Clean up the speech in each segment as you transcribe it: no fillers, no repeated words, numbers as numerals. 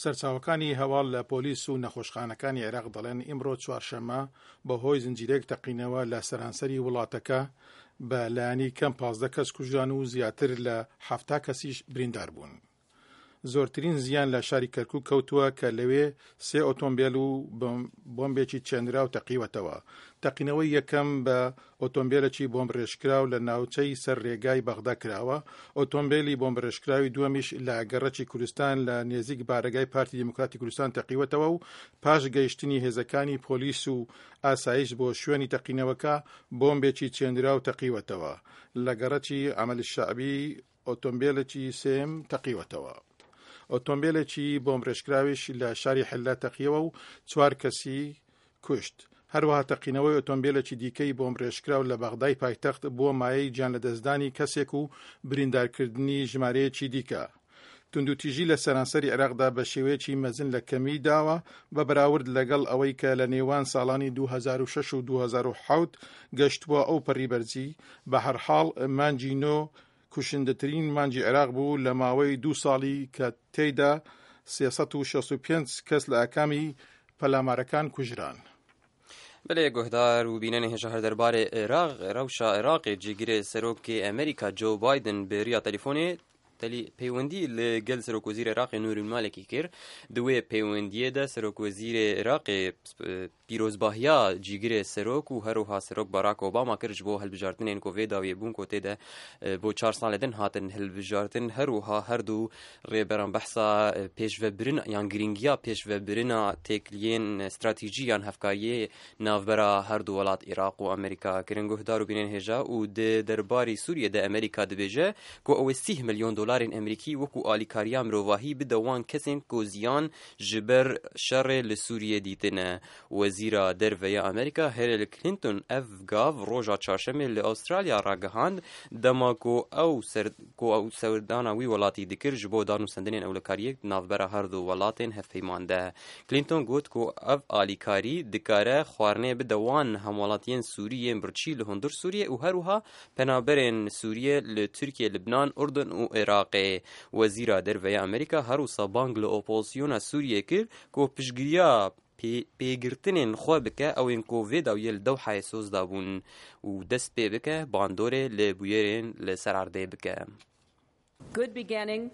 سەرچاوەکانی هەواڵ لە پۆلیس و نەخۆشخانەکانی عێراق دەڵێن ئیمڕۆ چوارشەممە بەهۆی زنجیرەیەک تەقینەوە لە سەرانسەری وڵاتەکە بە لایەنی کەم 15 کەس کوژران و زیاتر لە 70 کەسیش بریندار بوون. زۆرترین زیان لە شاری کەرکوک کەوتووە کە لەوێ سێ ئۆتۆمبێل و بۆمبێکی چێنراو تەقیوەتەوە. تەقینەوەی یەکەم بە ئۆتۆمبێلێکی بۆمبڕێژکراو لە ناوچەی سەر رێگای بەغدا کراوە، ئۆتۆمبێلی بۆمبڕێژکراوی دووەمیش لە گەڕەکی کوردستان لە نێزیک بارەگای پارتی دیموکراتی کوردستان تەقیوەتەوە و پاش گەیشتنی هێزەکانی پۆلیس و ئاسایش بۆ شوێنی تەقینەوەکە بۆمبێکی چێنراو تەقیوەتەوە لە گەڕەکی عەمەل شەعبی ئۆتۆمبێلێکی سێیەم تەقیوەتەوە. ئۆتۆمبێلێکی بۆمبڕێژکراویش لە شاری حلە تەقیەوە و چوار کەسی کوشت. هەروەها تەقینەوەی ئۆتۆمبێلێکی دیکەی بۆمبڕێژکراو لە بەغدای پایتەخت بووە مایەی گیانلەدەستدانی کەسێک و بریندارکردنی ژمارەیەکی دیکە. توندوتیژی لە سەرانسەری عێراقدا بە شێوەیەکی مەزن لە کەمی داوە بە بەراورد لەگەڵ ئەوەی کە لە نێوان ساڵانی 2006 و 2007 گەشتبووە ئەو پەڕی بەرزی، بە هەرحاڵ مانگی نۆ کوشندەترین مانگی عێراق بوو لە ماوەی دوو ساڵی کە تێیدا 365 کەس لە ئاکامی پەلامارەکان کوژران. بەلێ گوهدار و بینەنê hêja her derbarê Iraq rewşa Iraqê cîgirê Serokê Amerîka Joe Biden bi riya telefonê telî peywendî li gel Serokwezîrê Iraqê Nûrî Malekî kir. Di wê peywendiyê de Serokwezîrê Iraqê pîrozbahiya cîgirê Serok û herwiha Serok Barack Obama kir ji bo hilbijartinên ku vê dawiyê bûn ku tê de bo çar salê din hatin hilbijartin. Herwiha her du Rêberan behsa pêşvebirina yan girîngiya pêşvebirina têkiliyên stratejî yan hevkariyê navbera her du welat Iraq û Amerîka kirin. Guhdar û bînên hêja û di derbarî Sûriyê de Amerîka dibêje ku ew ê sîh milyon dolarên Amerîkî wekû alîkariya mirovahî bide wan kesên ku ziyan ji ber şerê li Sûriyê dîtine. Wezîra Derve ya Amerîka Hillary Clinton ev gav roja çarşemê li Awistralya ragihand dema ku ew ku ew serdana wî welatî dikir ji bo danûstendinên ewlekariyê di navbera her du welatên hevpeyman de. Clinton got ku ev alîkarî dikare xwarinê bide wan hemwelatiyên Sûrî yên birçî li hundir Sûriyê û her wiha penaberên Sûriyê li Tirkiye, Libnan, Urdun û Iraqê. Wezîra Derve ya Amerîka her wisa bang li opozisyona Sûriyê kir ku piştgiriya pêgirtinên xwe bike ew ên ku vê dawiyê li Dewhayê soz dabûn û dest pê bike bandorê li bûyerên li ser erdê bike. Good beginning,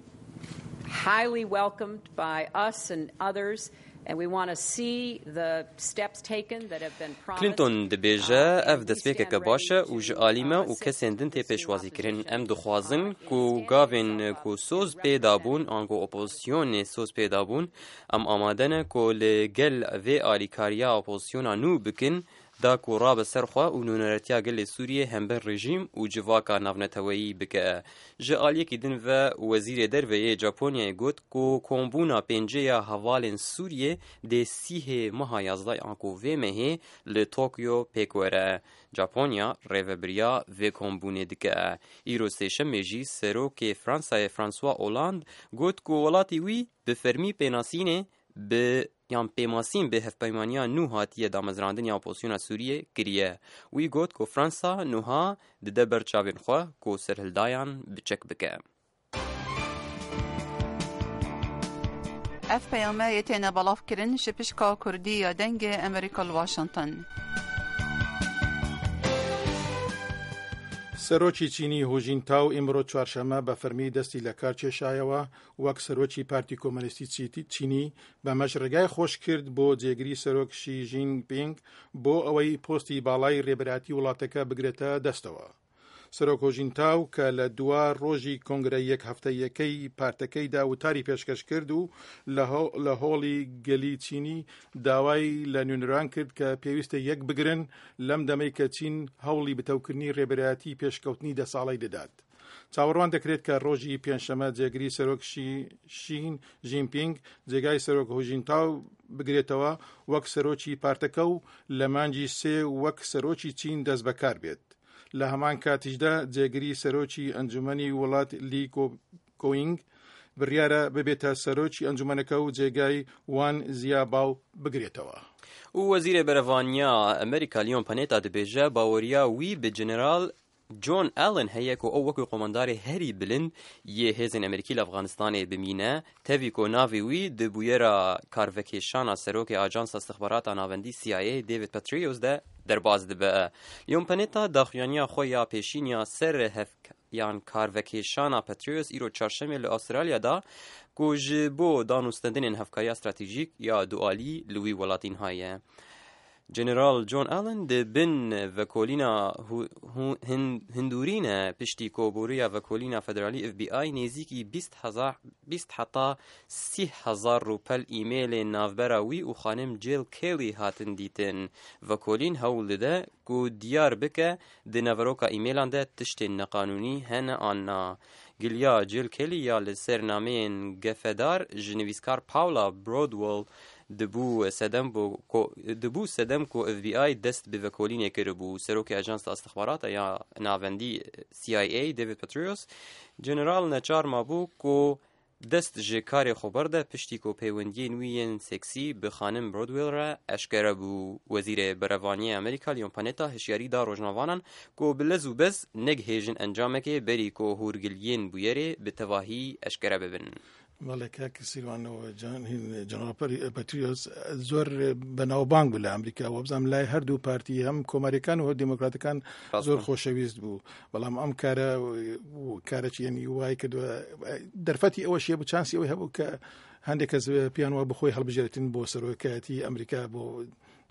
highly welcomed by us and others and we want to see the steps taken that have been promised. Clinton dibêje ev destpêkeke baş e û ji alî me û kesên din tê pêşwazîkirin. Em dixwazin ku gavên ku soz pê dabûn ango opozisyonê soz pê dabûn Em amade ne ku li gel vê alîkariya opozisyona nû bikin da ku rabe ser xwe û nûneretiya gelê Sûriyê hember rejîm û civaka navneteweyî bike. Ji aliyekî din ve Wezîrê Derve yê Japonyayê got ku kombûna pêncê ya hevalên Sûriyê dê sîhê meha yazdeh a ku vê mehê li Tokyo pêk were. Japonya rêvebiriya vê kombûnê dike. Îro sêşemê jî Serokê Fransayê François Hollande got ku welatê wî Bi fermî pênasînê bi yan pêmasîn bi hevpeymaniya nû hatiye damezrandin ya opozisyona Sûriyê kiriye. Wî got ku Fransa nuha dide ber çavên xwe ku serhildayan bi çek bike. Ev peyame yê têne belav kirin ji pişka Kurdî ya Dengê Amerîka li Washington. Serokî Çînî Hu Jintao îmro çarşeme bi fermî destî li kar kêşayewe وەک سەرۆکی پارتی کۆمەنیستی چینی، بەمەش ڕێگای خۆش کرد بۆ جێگری سەرۆک شی ژین پینگ بۆ ئەوەی پۆستی باڵای رێبەرایەتی وڵاتەکە بگرێتە دەستەوە. سەرۆک هۆژینتاو کە لە دوا ڕۆژی کۆنگرە یەک هەفتەییەکەی پارتەکەیدا وتاری پێشکەش کرد و لە هۆڵی گەلی چینی داوای لە نوێنەران کرد کە پێویستە یەک بگرن لەم دەمەی کە چین هەوڵی بتەوکردنی رێبەرایەتی پێشکەوتنی دە ساڵەی دەدات. چاوەڕوان دەکرێت کە ڕۆژی پێنجشەمە جێگری سەرۆک شین ژینپینگ جێگای سەرۆک هوژینتاو بگرێتەوە وەک سەرۆکی پارتەکە و لە مانگی سێ وەک سەرۆکی چین دەست بەکار بێت. لە هەمان کاتیشدا جێگری سەرۆکی ئەنجومەنی وڵات لی کۆینگ بڕیارە ببێتە سەرۆکی ئەنجومەنەکە و جێگای وان زیاباو بگرێتەوە. و وەزیرê Berevaniya Amerîka Leon Panetta dibêje baweriya wî bi General. جۆن ئالن هەیە ku ew wekî qomandarê herî bilind yê hêzên Amerîkî li Efxanistanê bimîne, tevî ku navê wî di bûyera karvekêşana serokê Ajansa Istixbarata Navendî CIA David Petraeus de derbas dibe. Leon Panetta daxuyaniya xwe ya pêşîn ya ser yan karvekêşana Petraeus îro Çarşemê li Awistralya da ku ji bo danûstendinên hevkariya stratejîk ya dualî li wî welatîn haye. General John Allen di bin vekolîna hindûrîn e piştî ku Boruya Vekolîna Federalî FBI nêzîkî 20 heta 30,000 rûpel îmêlên navbera wî û xanim Jill Kelly hatin dîtin. Vekolîn hewl dide ku diyar bike di naveroka îmêlan de tiştên neqanûnî hene an na. Giliya Jill Kelly ya li ser nameyên gefedar ji nivîskar Paula Broadwell dibû sedem ku dibû sedem ku FBI dest bi vekolînê kiribû. Serokê Ajansa Istixbarata ya Navendî CIA David Petraeus General neçar mabû ku dest ji karê xwe berde piştî ku peywendiyên wî yên seksî bi xanim Broadwell re eşkere bû. Wezîrê Berevaniyê Amerîka Leon Panetta hişyarî da rojnamevanan ku bi lez û bez negihêjin encamekê berî ku hûrgiliyên bûyerê bi tevahî eşkere bibin. بەڵێ کاک سیروان جەنەڕاڵ پەتریۆس زۆر بەناوبانگ بوو لە ئەمریکا وەبزانام لای هەردوو پارتی هەم کۆماریەکان و دیموکراتەکان زۆر خۆشەویست بوو بەڵام ئەم کارە کارەکی یعنی وای کردووە دەرفەتی ئەوەشیە بوو چانسی ئەوەی هەبوو کە هەندێک کەس پیان وە بخۆی هەڵبژێرێتن بۆ سەرۆکایەتی ئەمریکا بۆ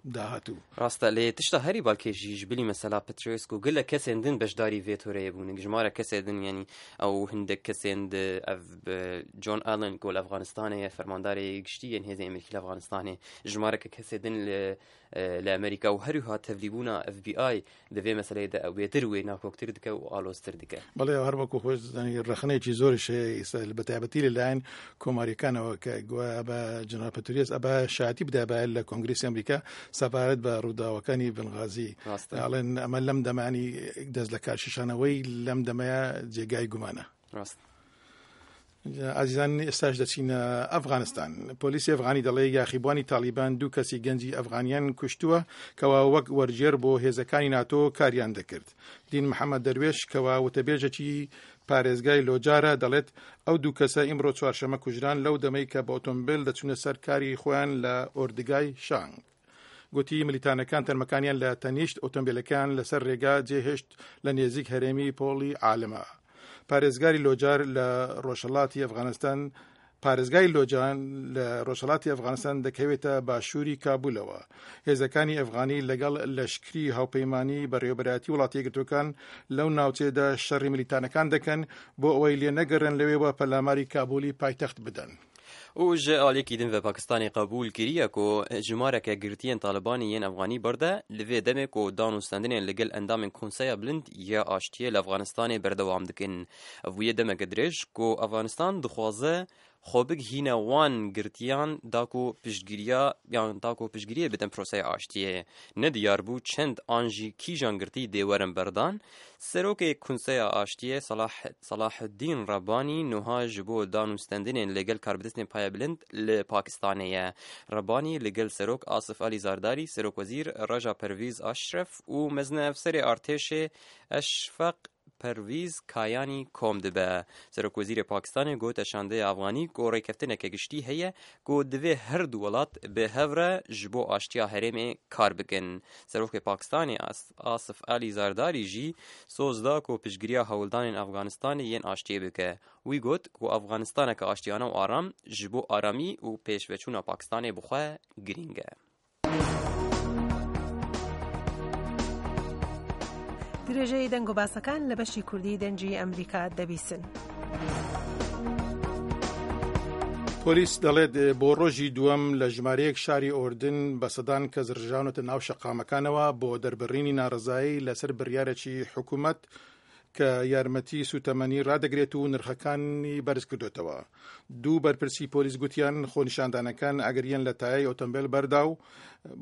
داهاتوو. ڕاستە لێ تشتا هەری بالکێش ژی ji bilî mesela Petraeus ku gelek kesên din beşdarî vê toreyê bûn jimara kesê din yanî ew hindek kesên di ev John Allen ku li Efxanistanê ye fermandarê giştî yên hêzên Amerîkî li Efxanistanê jimareke kesê din li li Amerîka û her wiha tevlîbûna FBI Di vê meseleyê de ew bêtir wê nakoktir dike û aloztir dike. Belê her wekû xwe dizanî rexneyekî zoriş heye îsta bi taybetî li layên komarîkanەوە کە گوایە بە جەنەڕاڵ پەتریۆس ئەبا شایەتی بدابایە لە کۆنگرێسی ئەمریکا سەبارەت بە ڕووداوەکانی بنغازی ڕاستە. ئەڵێن ئەمە لەم دەمانی دەست لە کارکێشانەوەی لەم دەمەیە جێگای گومانە. ڕاست. ئازیزان ئێستاش دەچینە ئەفغانستان. پۆلیسی ئەفغانی دەڵێ یاخیبوانی تاڵیبان دوو کەسی گەنجی ئەفغانیان کوشتووە کەوا وەک وەرگێر بۆ هێزەکانی ناتۆ کاریان دەکرد. دین محەممەد دەروێش کەوا وتەبێژێکی پارێزگای لۆجارە دەڵێت ئەو دوو کەسە ئیمڕۆ چوارشەمە کوژران لەو دەمەی کە بە ئۆتۆمبێل دەچوونە سەر کاری خۆیان لە ئۆردگای شانگ. گوتی ملیتانەکان تەرمەکانیان لە تەنیشت ئۆتۆمبیلەکەیان لەسەر رێگا جێهێشت لە نێزیک هەرێمی پۆڵی عالمە. پارێزگاری لۆجار لە ڕۆژهەڵاتی ئەفغانستان پارێزگای لۆجان لە ڕۆژهەڵاتی ئەفغانستان دەکەوێتە باشووری کابولەوە. هێزەکانی ئەفغانی لەگەڵ لەشکری هاوپەیمانی بەڕێوەبەرایەتی وڵاتە یەکگرتووەکان لەو ناوچەیەدا شەڕی ملیتانەکان دەکەن بۆ ئەوەی لێنەگەڕێن لەوێوە پەلاماری کابولی پایتەخت بدەن. Û ji aliyekî din ve Pakistanê qebûl kiriye ku jimareke girtiyên Talibanê yên Efxanî birde li vê demê ku danûstendinên li gel endamên Konseya Bilind ya Aştiyê li Efxanistanê berdewam dikin. Ev bûye demeke dirêj ku Efxanistan dixwaze xwe bigihîne wan girtiyan da ku piştgiriya yan da ku piştgiriyê bidin proseya aştiyê. Ne diyar bû çend an jî kîjan girtî dê werin berdan. Serokê Konseya Aştiyê Salah Salahuddîn Rabanî nuha ji bo danûstendinên li gel karbidestên payebilind li Pakistanê ye. Rabanî li gel Serok Asif Alî Zardarî, Serokwezîr Raja Pervîz Aşref û Mezineefserê Artêşê Eşfeq Pervîz Kayanî kom dibe. Serokwezîrê Pakistanê gote şandeya Efxanî ku rêkeftineke giştî heye ku divê her du welat bi hev re ji bo aştiya herêmê kar bikin. Serokê Pakistanê Asif Alî Zardarî jî soz da ku piştgiriya hewldanên Efxanistanê yên aştiyê bike. Wî got ku Efxanistaneke aştiyane û aram ji bo aramî û pêşveçûna Pakistanê bi xwe girîng e. درێژەی دەنگ و باسەکان لە بەشی کوردی دەنگی ئەمریکا دەبیسن. پۆلیس دەڵێت بۆ ڕۆژی دووەم لە ژمارەیەک شاری ئۆردن بە سەدان کەس ڕژاونەتە ناو شەقامەکانەوە بۆ دەربڕینی ناڕەزایی لەسەر بڕیارێکی حکوومەت کە یارمەتی سوتەمەنی ڕادەگرێت و نرخەکانی بەرزکردوێتەوە. دوو بەرپرسی پۆلیس گوتیان خۆنیشاندانەکان ئاگریان لە تایەی ئۆتۆمبێل بەردا و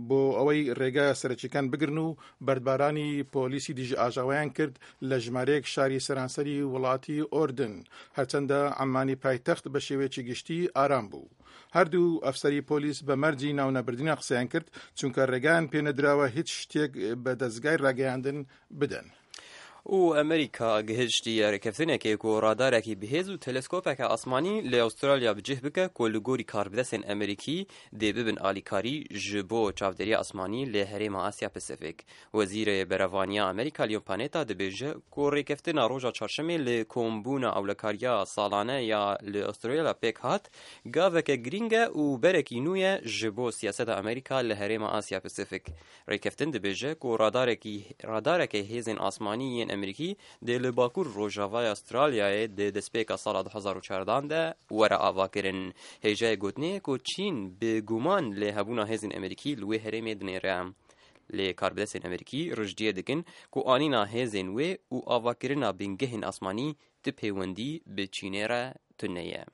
بۆ ئەوەی ڕێگا سەرەکیەکان بگرن و بەردبارانی پۆلیسی دژی ئاژاوەیان کرد لە ژمارەیەک شاری سەرانسەری وڵاتی ئۆردن، هەرچەندە عەممانی پایتەخت بە شێوەیەکی گشتی ئارام بوو. هەردوو ئەفسەری پۆلیس بە مەرجی ناونەبردنیان قسەیان کرد، چونکە ڕێگایان پێنەدراوە هیچ شتێک بە دەزگای ڕاگەیاندن بدەن. û Amerîka gihiştiye rêkeftinekê ku radarekî bihêz û teleskopeke asmanî li Awistralya bi cih bike ku li gorî karbidestên Amerîkî dê bibin alîkarî ji bo çavdêriya asmanî li herêma Asya Pasifik. Wezîrê Berevaniya Amerîka Leon Panetta dibêje ku rêkeftina roja çarşemê li kombûna ewlekariya salane ya li Awistralya pêk hat, gaveke girîng e û berekî nû ye ji bo siyaseta Amerîka li herêma Asya Pasifik. Rêkeftin dibêje ku radarekî radareke hêzên asmanî yên Amerîkî dê li bakur rojavaya Awistralyayê di destpêka sala 2014 de were avakirin. Hêjayê gotinê ye ku Çîn bi guman li hebûna hêzên Amerîkî li wê herêmê dinêre. Lê karbidestên Amerîkî rijdiyê dikin ku anîna hêzên wê û avakirina bingehên asmanî ti pêwendî bi Çînê re tune ye.